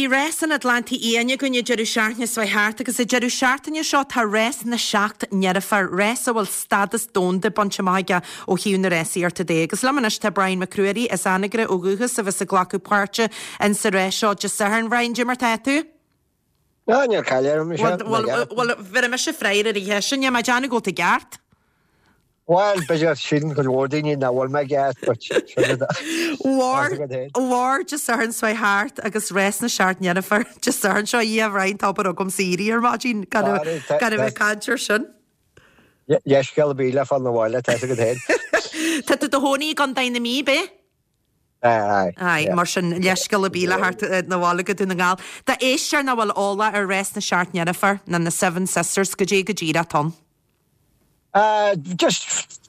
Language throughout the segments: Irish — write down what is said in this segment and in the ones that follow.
Bhí Rás an Atlantaigh Fhiáin againn an deireadh seachtaine seo thart agus an deireadh seachtaine seo tá Rás na Seacht nDeirféar, rás a bhfuil stádas domhanda bainte amach aige ó thaobh na rásaíochta de. Agus liom anois tá Brian Mac Ruairí as Anagaire ó dhúchas a bheas ag glacadh páirte in sa rás seo Dé Sathairn. Brian, cad é mar tá tú? Ná, níl caill orm, is ea. Bhuel, bhuel, bheir mise freagra ar an cheist sin, níl mé ag déanamh go bhfuil tú i gceart. Bhuel, b'fhéidir síleann cuid mhór daoine nach bhfuil mé i gceart, but sin rud a. Mhór, mhór Dé Sathairn seo thart agus Rás na Seacht nDeirféar Dé Sathairn seo, a Dhia, Brian, tá obair agamsa éirí ar maidin gan a gan a bheith ag caint ar sin. Leithscéal ar bith le fáil 'na bhaile, tá 'fhios agat féin. Tá tú i do chónaí i gContae na Mí, ab ea? Aye, Aye, mar sin, leithscéal ar bith le theacht 'na bhaile go Dún na nGall. D'éisteoir nach bhfuil eolach ar Rás na Seacht nDeirféar, ná na Seven Sisters, goidé go díreach atá ann. Just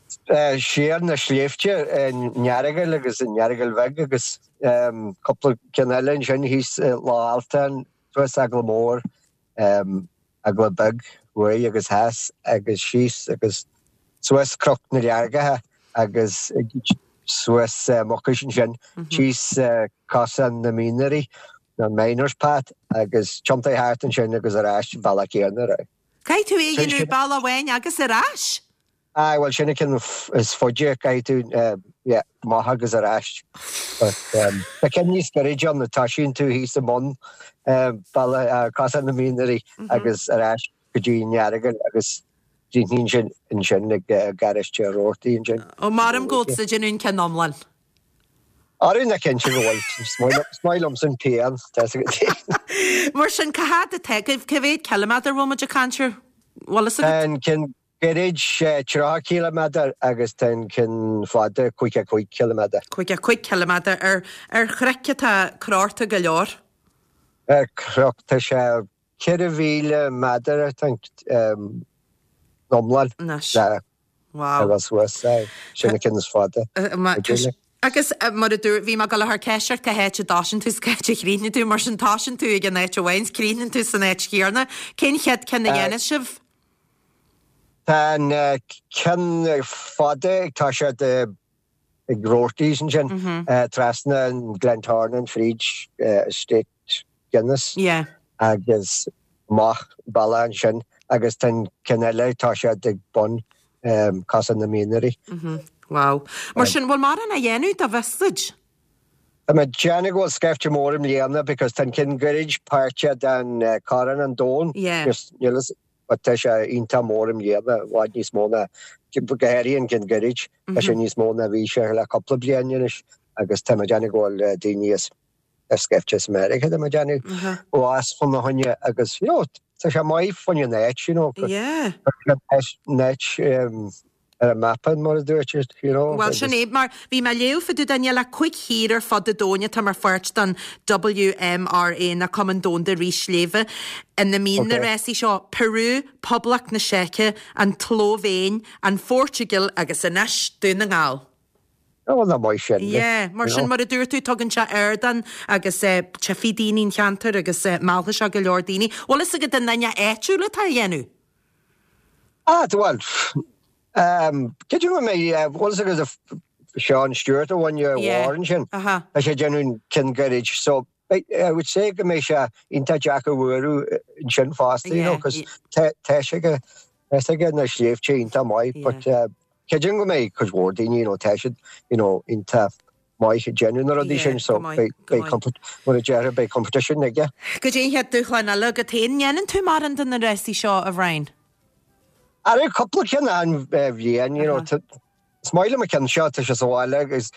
siar na sléibhte i nEaragail agus in Earagail Bheag agus cúpla ceann eile ansin thíos i Loch Altan, suas Eagla Mór, Eagla Beag thuaidh agus theas agus síos agus suas Cnoc na Leargacha agus suas Mucais ansin, síos Cosán na Mianairí, na Miners Path agus tiontaigh thart ansin agus ar ais an bealach céanna. Caithfidh tú é a dhéanamh bealach amháin agus ar ais. Aye, bhuel sin an ceann is faide, caithfidh tú, yeah, amach agus ar ais. But tá ceann níos gairide ann, toisíonn tú thíos i mbun bealach Cosán na Mianairí agus ar ais go dtí an Earagail agus críochnaíonn sin ansin ag garáiste Roarty ansin. Ó, maram go bhfuil tusa ag déanamh an ceann iomlán. Arú ná cinnte go bhfuil. Is maith liomsa an pian, tá 'fhios agat. Mar sin, cá fhad atá agaibh? Cá mhéad ciliméadar a bhfuil muid ag caint air? Bhfuil fhios agat? Tá an ceann gairid 30 ciliméadar agus tá an ceann fada 55 ciliméadar. 55 ciliméadar ar ar chnoic atá crochta go leor. Ar chnoc, tá sé 4,000 méadar, I think, iomlán. Anois. Le Wow. Bhuel suas, aye. Sin an ceann is fada. Agus mar a dúirt, bhí mé ag dul a chur ceist ort cá háit a dtosaíonn tú is cá háit a chríochnaíonn tú, mar sin tosaíonn tú ag an áit amháin is críochnaíonn tú san áit chéanna. Cén chéad ceann a dhéanfas sibh? Tá an ceann fada ag toiseacht ag Roarty's ansin, trasna an Glentornan fríd Estate Guinness agus amach bealach ansin agus tá an ceann eile ag toiseacht ag bun Cosán na Mianairí. Wow. Mar sin, bhfuil mórán á dhéanamh dá bhfios duit? Tá mé ag déanamh go bhfuil scaifte mór i mbliana because tá an ceann gairid páirteach den Corn an Domhain. Just níl fhios but tá sé iontach mór i mbliana, i bhfad níos mó ná, go háirithe an ceann gairid, tá sé níos mó ná bhí sé le cúpla bliain anois agus tá mé ag déanamh go bhfuil daoine as scaifte as Meiriceá tá mé ag déanamh ó as fá choinne agus you know tá sé maith fá choinne an áit you know Yeah. an áit ar an mapa mar a dúirt siad you know Bhuel sin é mar bhí mé ag léamh fá dtaobh de níl ach 5 thír ar fud an domhain atá mar pháirt den WMRA ná Cumann Domhanda Rith Sléibhe ina mbíonn na rásaí seo Peru, Poblacht na Seice, an tSlóivéin, an Phortaingéil agus anois Dún na nGall. Bhuel nach maith sin. Yeah, mar sin, mar a dúirt tú, tugann sé ardán agus tchífidh daoine an cheantar agus meallfaidh sé go leor daoine. Bhfuil fhios agat an duine áitiúil atá á dhéanamh? Ah, bhuel, creidim go mbeidh, bhfuil fhios agat Sean Stewart ó Bhaile Mhóir ansin, tá sé ag déanamh an ceann gairid, so I would say go mbeidh sé iontach deacair bualadh ansin fosta, you know, cos tá sé aige, tá sé aige na sléibhte iontach maith, but creidim go mbeidh cuid mhór daoine, you know, tá siad, you know, iontach maith ag déanamh na rudaí sin, so beidh, beidh, mar a déarfá, beidh competition aige. Goidé an chéad dúshlán eile agat féin? An ndéanann tú mórán de na rásaí seo, a Bhrian? Ara, cúpla ceann achan bhliain, you know, Is maith liom an ceann seo, tá sé sa bhaile agus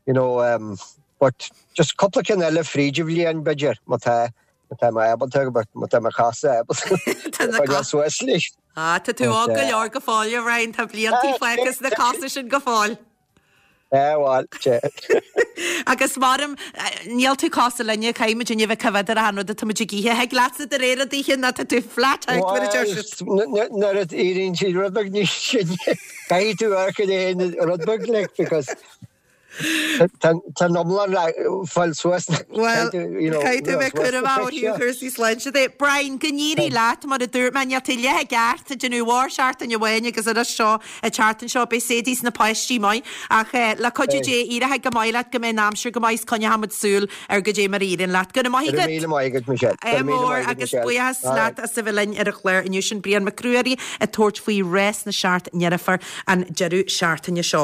you know um, but just cúpla ceann eile fríd an bhliain b'fhéidir, má tá má tá mé ábalta but má tá mo chosa ábalta Tá na coinneáil suas leis. Ah, tá tú óg go leor go fóill, a Bhrian, tá bliantaí fágtha sna cosa sin go fóill. Eh, bhuel, te. Agus maram, níl tú cosúil linne, caithfidh muid inniu bheith coimhéad ar achan rud atá muid ag ithe. Thig leatsa de réir an oíche ná tá tú flat out mar a deir siad. Bhuel, nuair a éiríonn siad rud beag níos sine, caithfidh tú amharc ar aon rud beag like because. Tá an iomlán le fáil suas. Bhuel, caithfidh tú a bheith cúramach ó thaobh chúrsaí sláinte de. Brian, go n-éirí leat, mar a dúirt mé, níl tú leath i gceart ag déanamh mhór seachtain amháin agus anois seo an tseachtain seo, beidh Sadie 's na páistí maith. Ach le cuidiú Dé, éireoidh go maith leat, go mbeidh an aimsir go maith is coinneoidh muid súil ar goidé mar a éiríonn leat. Go raibh maith agat. Go raibh míle maith agat, Michelle. Go raibh míle maith agat, agus buíochas leat as a bheith linn ar an chlár inniu. Sin Brian Mac Ruairí ag tabhairt faoi rás na seacht ndeirfiúr an deireadh seachtaine seo.